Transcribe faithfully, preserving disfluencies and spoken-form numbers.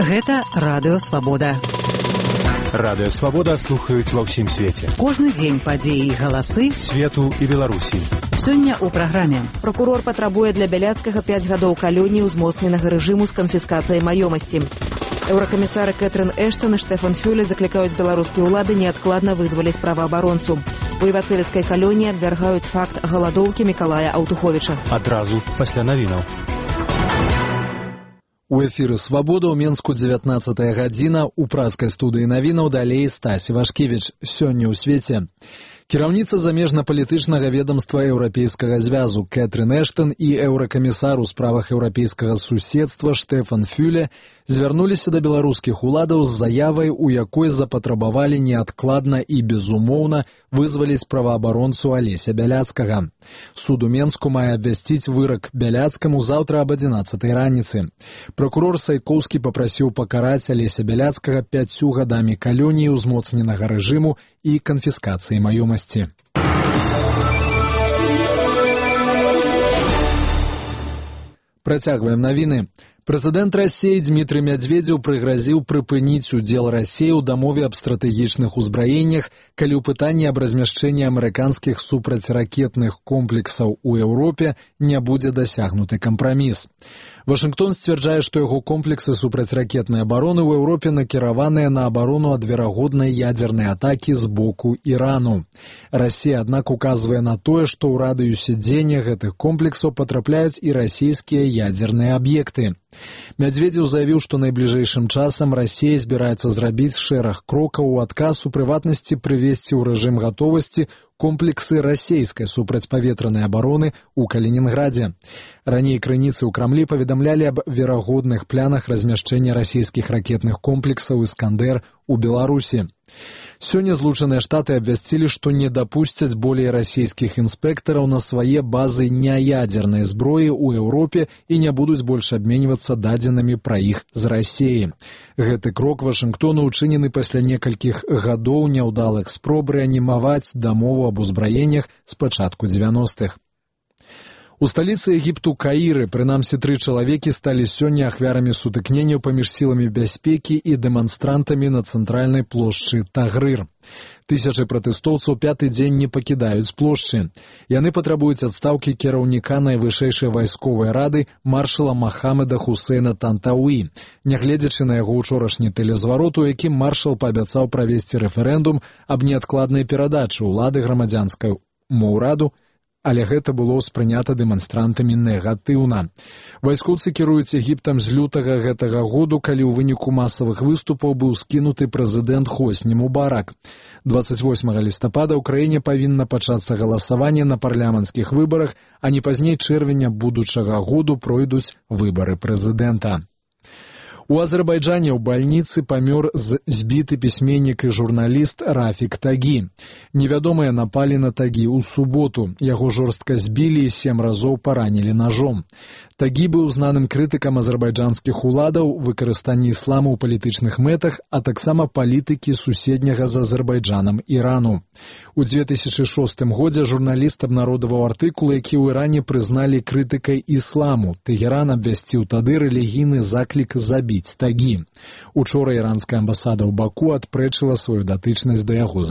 Гэта Радыё Свабода. Радыё Свабода слухаюць ва ўсім свеце. Кожны дзень падзеі і галасы свету і Беларусі. Сёння ў праграме. Пракурор патрабуе для Бяляцкага пяць гадоў калоніі ўзмоцненага рэжыму з канфіскацыяй маёмасці. Еўракамісары Кэтрин Эштон і Штефан Фюле заклікаюць беларускія ўлады неадкладна вызваліць праваабаронцу. У івацевіцкай калоніі абвяргаюць факт галадоўкі Мікалая Аўтуховіча. Адразу пасля навінаў. У эфіры «Свабода» ў Менску дзевятнаццатая гадзіна. У праскай студыі навінаў далей Стась Івашкевіч. Сёння ў свеце. Кіраўніца замежна-палітычнага ведомства Еўрапейскага звязу Кэтрин Эштон і еўракамісар у справах еўрапейскага суседства Штефан Фюле звярнуліся да беларускіх уладаў з заявай, у якой запатрабавалі неадкладна і безумоўна вызваліць праваабаронцу Алеся Бяляцкага. Суд у Менску мае абвясціць вырак Бяляцкаму заўтра аб адзінаццатай раніцы. Пракурор Сайкоўскі папрасіў пакараць Алеся Бяляцкага пяццю гадамі калоніі ўзмоцненага рэжыму і канфіскацыі маёмасці. Працягваем навіны. Прэзідэнт Расіі Дмітрый Мядзведзеў прыгразіў прыпыніць удзел Расіі ў дамове аб стратэгічных узбраеннях, калі ў пытанні аб размяшчэнні амерыканскіх супрацьракетных комплексаў у Еўропе не будзе дасягнуты кампраміс. Вашынгтон сцвярджае, што яго комплексы супрацьракетнай абароны ў Еўропе накіраваныя на абарону ад верагоднай ядзернай атакі з боку Ірану. Расія, аднак, указвае на тое, што ў радыюсе дзеяння гэтых комплексаў патрапляюць і расійскія ядзерныя аб'екты. Мядзведзеў заявіў, што найбліжэйшым часам Расія збіраецца зрабіць шэраг крокаў у адказ, у прыватнасці прывесці ў рэжым гатовасці комплексы расійскай супрацьпаветранай абароны ў Калінінградзе. Раней крыніцы ў Крамлі паведамлялі аб верагодных планах размяшчэння расійскіх ракетных комплексаў «Іскандэр» у Беларусі. Сёння Злучаныя Штаты абвясцілі, што не дапусцяць болей расійскіх інспектараў на свае базы няядзернай зброі ў Еўропе і не будуць больш абменьвацца дадзенымі пра іх з Расіі. Гэты крок Вашынгтону ўчынены пасля некалькіх гадоў няўдалых спроб рэанімаваць дамову аб узбраеннях з пачатку дзевяностых. У сталіцы Егіпту Каіры, прынамсі тры чалавекі сталі сёння ахвярамі сутыкненняў паміж сіламі бяспекі і дэманстрантамі на цэнтральнай плошчы Тагрыр. Тысячы пратэстоўцаў пяты дзень не пакідаюць плошчы. Яны патрабуюць адстаўкі кіраўніка найвышэйшай вайсковай рады маршала Махамеда Хусейна Тантауі, нягледзячы на яго ўчорашні тэлезварот, у якім маршал паабяцаў правесці рэферэндум аб неадкладнай перадачы ўлады грамадзянскаму ўраду, але гэта было ўспрынята дэманстрантамі негатыўна. Вайскоўцы кіруюць Егіптам з лютага гэтага году, калі ў выніку масавых выступаў быў скінуты прэзідэнт Хосні Мубарак. дваццаць восьмага лістапада ў краіне павінна пачацца галасаванне на парламенцкіх выбарах, а не пазней чэрвеня будучага году пройдуць выбары прэзідэнта. У Азербайджане ў бальніцы памёр збіты пісьменнік і журналіст Рафік Тагі. Невядомыя напалі на Тагі ў суботу. Яго жорстка збілі і сем разоў паранілі ножом. Тагі быў знаным крытыкам азербайджанскіх уладаў, выкарыстанні ісламу ў палітычных мэтах, а таксама палітыкі суседняга з Азербайджанам Ірану. У дзве тысячы шостым годзе журналіст абнародаваў артыкул, які ў Іране прызналі крытыкай ісламу. Тэгеран абвясціў тады рэлігійны заклік забіць Тагі. Учора іранская амбасада ў Баку адпрэчыла сваю датычнасць да яго